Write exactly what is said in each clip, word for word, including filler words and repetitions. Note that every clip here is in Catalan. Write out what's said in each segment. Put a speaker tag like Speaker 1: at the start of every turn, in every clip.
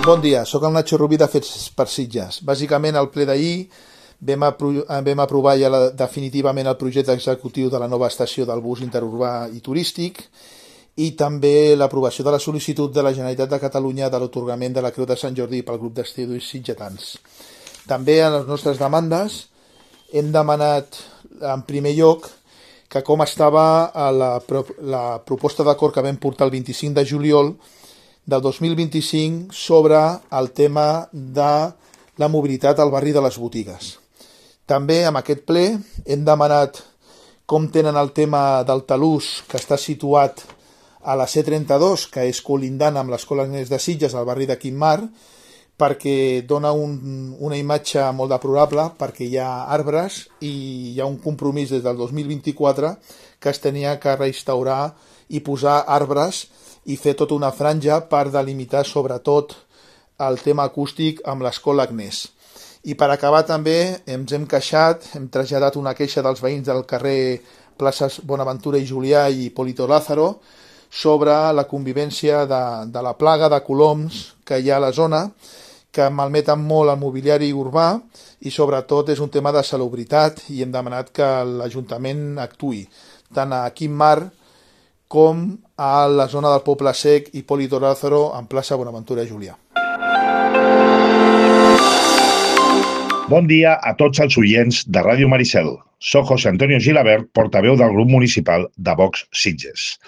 Speaker 1: Bon dia, sóc el Nacho Rubí de Fets per Sitges. Bàsicament, al ple d'ahir vam, apro vam aprovar ja la, definitivament el projecte executiu de la nova estació del bus interurbà i turístic i també l'aprovació de la sol·licitud de la Generalitat de Catalunya de l'atorgament de la Creu de Sant Jordi pel grup d'estudis sitgetans. També en les nostres demandes hem demanat en primer lloc que com estava la, la proposta d'acord que vam portar el vint-i-cinc de juliol del dos mil vint-i-cinc sobre el tema de la mobilitat al barri de les botigues. També en aquest ple hem demanat com tenen el tema del talús que està situat a la C trenta-dos, que és colindant amb l'Escola Agnès de Sitges, al barri de Quimar, perquè dona un, una imatge molt deplorable, perquè hi ha arbres i hi ha un compromís des del dos mil vint-i-quatre que es tenia que restaurar i posar arbres i fer tota una franja per delimitar sobretot el tema acústic amb l'Escola Agnès. I per acabar també ens hem queixat, hem traslladat una queixa dels veïns del carrer Places Bonaventura i Julià i Polito Lázaro sobre la convivència de, de la plaga de coloms que hi ha a la zona, que malmeten molt el mobiliari urbà i sobretot és un tema de salubritat i hem demanat que l'Ajuntament actuï, tant a Quimar com a la zona del Poble Sec i Polito Lázaro en plaça Bonaventura i Julià.
Speaker 2: Bon dia a tots els oients de Ràdio Maricel. Soc José Antonio Gilabert, portaveu del grup municipal de Vox Sitges.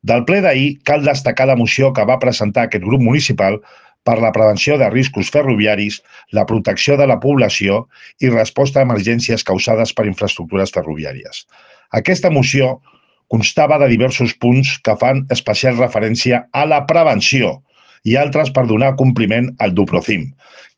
Speaker 2: Del ple d'ahir cal destacar la moció que va presentar aquest grup municipal per la prevenció de riscos ferroviaris, la protecció de la població i resposta a emergències causades per infraestructures ferroviàries. Aquesta moció constava de diversos punts que fan especial referència a la prevenció i altres per donar compliment al Duprocim,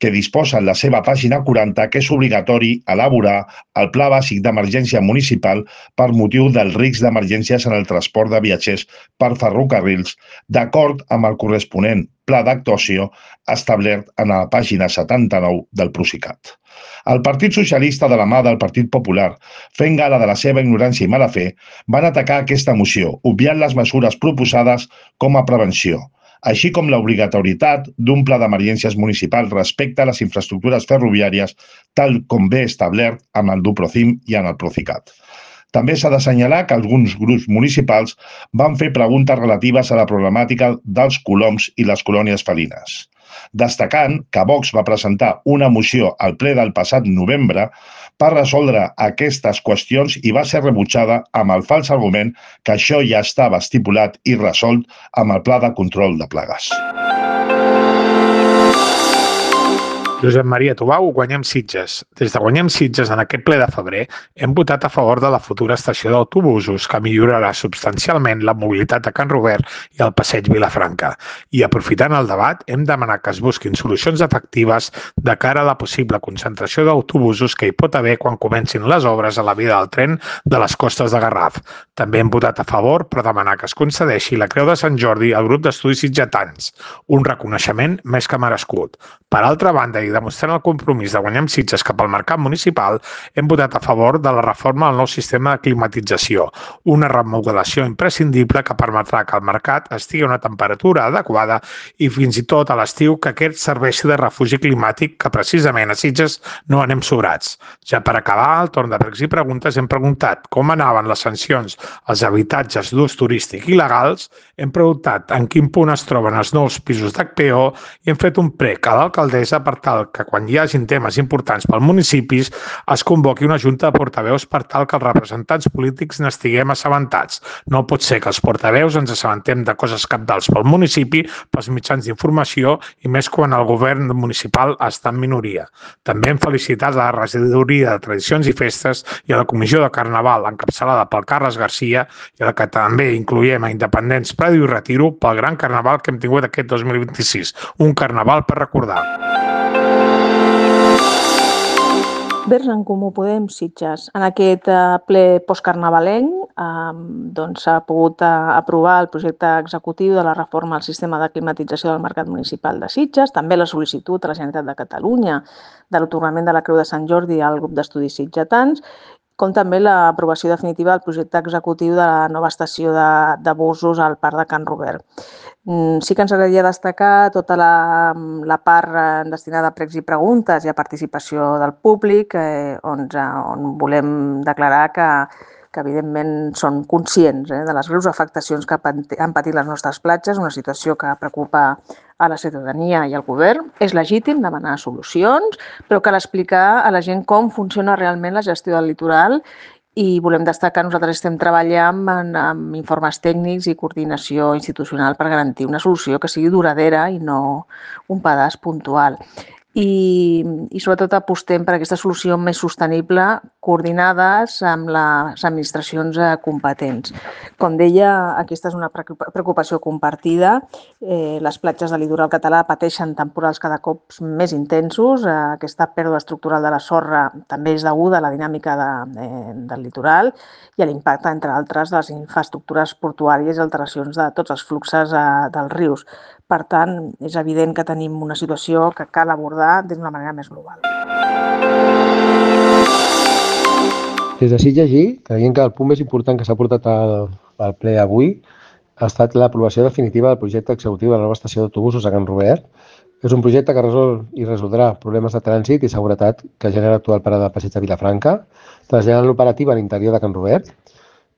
Speaker 2: que disposa en la seva pàgina quaranta que és obligatori elaborar el Pla Bàsic d'Emergència Municipal per motiu del risc d'emergències en el transport de viatgers per ferrocarrils, d'acord amb el corresponent pla d'actuació establert en la pàgina setanta-nou del Procicat. El Partit Socialista, de la mà del Partit Popular, fent gala de la seva ignorància i mala fe, van atacar aquesta moció, obviant les mesures proposades com a prevenció, així com l'obligatorietat d'un pla d'emergències municipal respecte a les infraestructures ferroviàries, tal com ve establert amb el Duprocim i en el Procicat. També s'ha d'assenyalar que alguns grups municipals van fer preguntes relatives a la problemàtica dels coloms i les colònies felines, destacant que Vox va presentar una moció al ple del passat novembre per resoldre aquestes qüestions i va ser rebutjada amb el fals argument que això ja estava estipulat i resolt amb el Pla de Control de Plagues.
Speaker 3: Josep Maria Tubau, Guanyem Sitges. Des de Guanyem Sitges, en aquest ple de febrer, hem votat a favor de la futura estació d'autobusos que millorarà substancialment la mobilitat a Can Robert i al Passeig Vilafranca. I aprofitant el debat, hem demanat que es busquin solucions efectives de cara a la possible concentració d'autobusos que hi pot haver quan comencin les obres a la via del tren de les costes de Garraf. També hem votat a favor per demanar que es concedeixi la Creu de Sant Jordi al grup d'estudis sitgetans, un reconeixement més que merescut. Per altra banda, i demostrant el compromís de Guanyem Sitges cap al mercat municipal, hem votat a favor de la reforma del nou sistema de climatització, una remodelació imprescindible que permetrà que el mercat estigui a una temperatura adequada i fins i tot a l'estiu que aquest serveixi de refugi climàtic que precisament a Sitges no anem sobrats. Ja per acabar, al torn de pregs i preguntes hem preguntat com anaven les sancions als habitatges d'ús turístic il·legals, hem preguntat en quin punt es troben els nous pisos d'H P O i hem fet un prec a l'alcaldessa per tal que quan hi hagin temes importants pel municipis es convoqui una junta de portaveus per tal que els representants polítics n'estiguem assabentats. No pot ser que els portaveus ens assabentem de coses cabdals pel municipi, pels mitjans d'informació i més quan el govern municipal està en minoria. També hem felicitat a la regidoria de Tradicions i Festes i a la comissió de Carnaval encapçalada pel Carles Garcia i a la que també incloïm a Independents, Prado i Retiro pel gran carnaval que hem tingut aquest dos mil vint-i-sis. Un carnaval per recordar.
Speaker 4: Vers en Comú Podem Sitges. En aquest ple postcarnavalenc eh, doncs s'ha pogut eh, aprovar el projecte executiu de la reforma al sistema de climatització del mercat municipal de Sitges, també la sol·licitud a la Generalitat de Catalunya de l'atorgament de la Creu de Sant Jordi al grup d'estudis sitgetans, com també l'aprovació definitiva del projecte executiu de la nova estació de, de busos al Parc de Can Robert. Sí que ens agradaria destacar tota la, la part destinada a pregs i preguntes i a participació del públic, eh, on, on volem declarar que, que evidentment són conscients eh, de les greus afectacions que han patit les nostres platges, una situació que preocupa a la ciutadania i al govern. És legítim demanar solucions, però cal explicar a la gent com funciona realment la gestió del litoral i volem destacar que nosaltres estem treballant amb, amb informes tècnics i coordinació institucional per garantir una solució que sigui duradera i no un pedaç puntual. I, i sobretot apostem per aquesta solució més sostenible, coordinades amb les administracions competents. Com deia, aquesta és una preocupació compartida. Eh, les platges del litoral català pateixen temporals cada cop més intensos. Eh, aquesta pèrdua estructural de la sorra també és deguda a la dinàmica de, eh, del litoral i a l'impacte, entre altres, de les infraestructures portuàries i alteracions de tots els fluxes eh, dels rius. Per tant, és evident que tenim una situació que cal abordar d'una manera més global.
Speaker 5: Des de Sitges, creiem que el punt més important que s'ha portat al, al ple avui ha estat l'aprovació definitiva del projecte executiu de la nova estació d'autobusos a Can Robert. És un projecte que resol i resoldrà problemes de trànsit i seguretat que genera l'actual parada de passeig de Vilafranca, traslladant l'operativa a l'interior de Can Robert.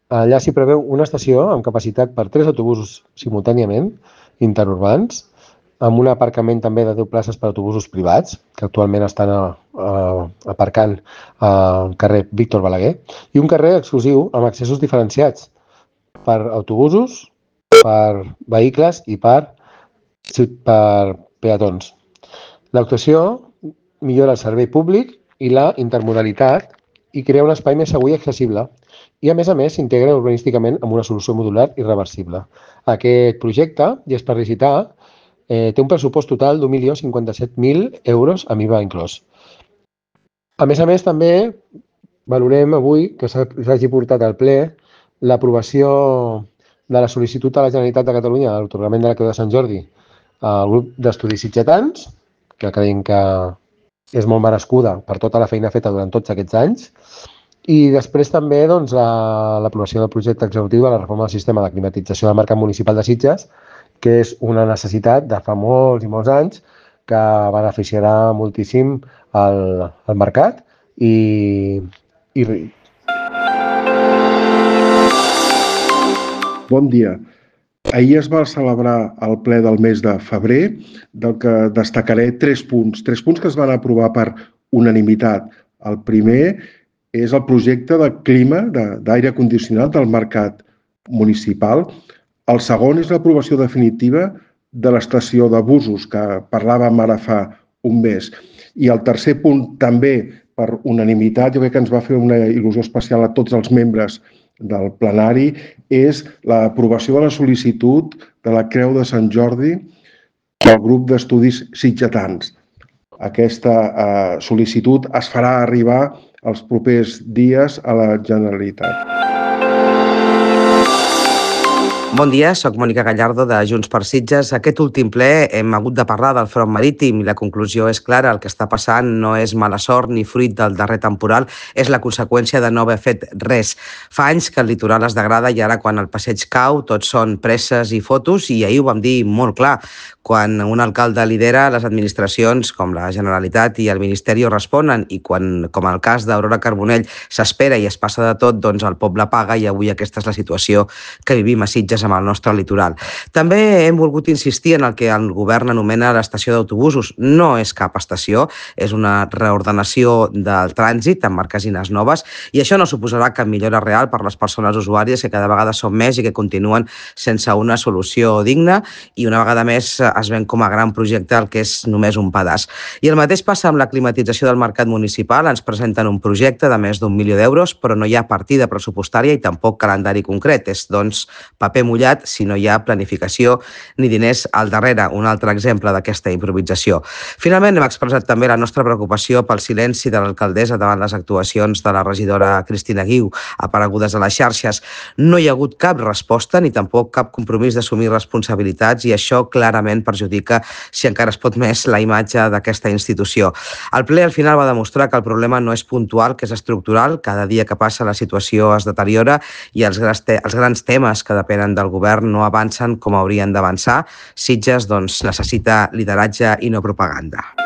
Speaker 5: Allà s'hi preveu una estació amb capacitat per tres autobusos simultàniament, interurbans, amb un aparcament també de deu places per a autobusos privats, que actualment estan a, a, aparcant al carrer Víctor Balaguer, i un carrer exclusiu amb accessos diferenciats per autobusos, per vehicles i per, per peatons. L'actuació millora el servei públic i la intermodalitat i crea un espai més segur i accessible. I, a més a més, s'integra urbanísticament amb una solució modular i reversible. Aquest projecte, i és per licitar, eh, té un pressupost total d'un milió cinquanta-set mil euros amb I V A inclòs. A més a més, també valorem avui que s'hagi portat al ple l'aprovació de la sol·licitud a la Generalitat de Catalunya a l'atorgament de la Creu de Sant Jordi al grup d'estudis sitgetans, que creiem que és molt merescuda per tota la feina feta durant tots aquests anys. I després també doncs, l'aprovació del projecte executiu de la reforma del sistema de climatització del mercat municipal de Sitges, que és una necessitat de fa molts i molts anys que beneficiarà moltíssim el, el mercat i, i...
Speaker 6: Bon dia. Ahir es va celebrar el ple del mes de febrer, del que destacaré tres punts. Tres punts que es van aprovar per unanimitat. El primer és el projecte de clima d'aire condicionat del mercat municipal. El segon és l'aprovació definitiva de l'estació de busos, que parlàvem ara fa un mes. I el tercer punt, també per unanimitat, jo crec que ens va fer una il·lusió especial a tots els membres del plenari, és l'aprovació de la sol·licitud de la Creu de Sant Jordi del grup d'estudis sitgetans. Aquesta eh, sol·licitud es farà arribar els propers dies a la Generalitat.
Speaker 7: Bon dia, soc Mònica Gallardo de Junts per Sitges. Aquest últim ple hem hagut de parlar del front marítim i la conclusió és clara. El que està passant no és mala sort ni fruit del darrer temporal, és la conseqüència de no haver fet res. Fa anys que el litoral es degrada i ara quan el passeig cau tot són presses i fotos i ahir ho vam dir molt clar. Quan un alcalde lidera, les administracions com la Generalitat i el Ministeri responen i quan, com el cas d'Aurora Carbonell, s'espera i es passa de tot, doncs el poble paga i avui aquesta és la situació que vivim a Sitges amb el nostre litoral. També hem volgut insistir en el que el govern anomena l'estació d'autobusos. No és cap estació, és una reordenació del trànsit amb marquesines noves i això no suposarà cap millora real per les persones usuàries que cada vegada són més i que continuen sense una solució digna i una vegada més es ven com a gran projecte el que és només un pedaç. I el mateix passa amb la climatització del mercat municipal. Ens presenten un projecte de més d'un milió d'euros, però no hi ha partida pressupostària i tampoc calendari concret. És, doncs, paper mullat mullat si no hi ha planificació ni diners al darrere. Un altre exemple d'aquesta improvisació. Finalment, hem expressat també la nostra preocupació pel silenci de l'alcaldessa davant les actuacions de la regidora Cristina Guiu, aparegudes a les xarxes. No hi ha hagut cap resposta ni tampoc cap compromís d'assumir responsabilitats i això clarament perjudica, si encara es pot més, la imatge d'aquesta institució. El ple al final va demostrar que el problema no és puntual, que és estructural. Cada dia que passa la situació es deteriora i els grans, te els grans temes que depenen del govern no avancen com haurien d'avançar. Sitges doncs, necessita lideratge i no propaganda.